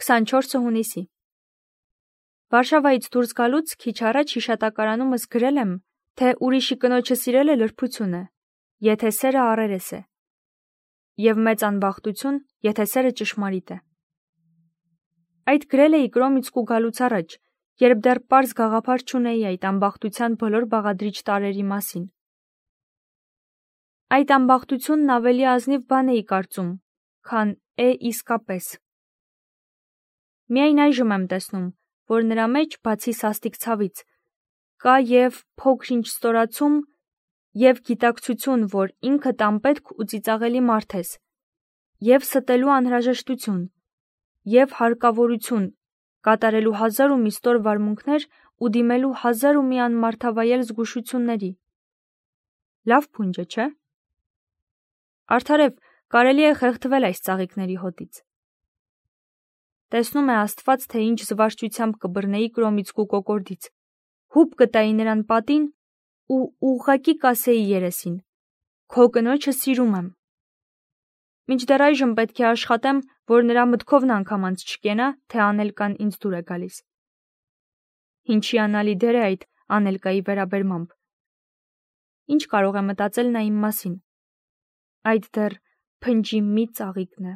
24 հունիսի։ Վարշավայից դուրս գալուց քիչ առաջ հիշատակարանումս գրել եմ, թե ուրիշի կնոջը սիրելը լրբություն է, եթե սերը առերես է, և մեծ անբախտություն, եթե սերը ճշմարիտ է։ Այդ գրել էի Կրոմիցկու գալուց առաջ, երբ դեռ պարզ գաղափար չունեի այդ անբախտության բոլոր բաղադրիչ տարրերի մասին։ Այդ անբախտությունն ավելի ազնիվ բան էի կարծում, քան է իսկապես։ Միայն այժմ եմ տեսնում, որ նրա մեջ, բացի սաստիկ ցավից, կա և փոքր-ինչ ստորացում, և գիտակցություն, որ ինքդ անպետք ու ծիծաղելի մարդ ես, և ստելու անհրաժեշտություն, և հարկավորություն կատարելու 1000 ստոր վարմունքներ ու դիմելու 1000 անմարդավայել զգուշությունների։ Լավ փունջ է, չէ՞։ Արդարև, կարելի է խեղդվել այս ծաղիկների հոտից։ Տեսնում է Աստված, թե ինչ զվարճությամբ կբռնեի Կրոմիցկու կոկորդից, հուպ կտայի նրան պատին ու ուղղակի կասեի երեսին. քո կնոջը սիրում եմ։ Մինչդեռ այժմ պետք է աշխատեմ, որ նրա մտքովն անգամ չկենա, թե Անելկան ինձ դուր է գալիս։ Ինչ հիանալի դեր է այդ Անելկայի վերաբերմամբ։ Ինչ կարող է մտածել նա իմ մասին։ Այդ դեռ փնջի մի ծաղիկն է։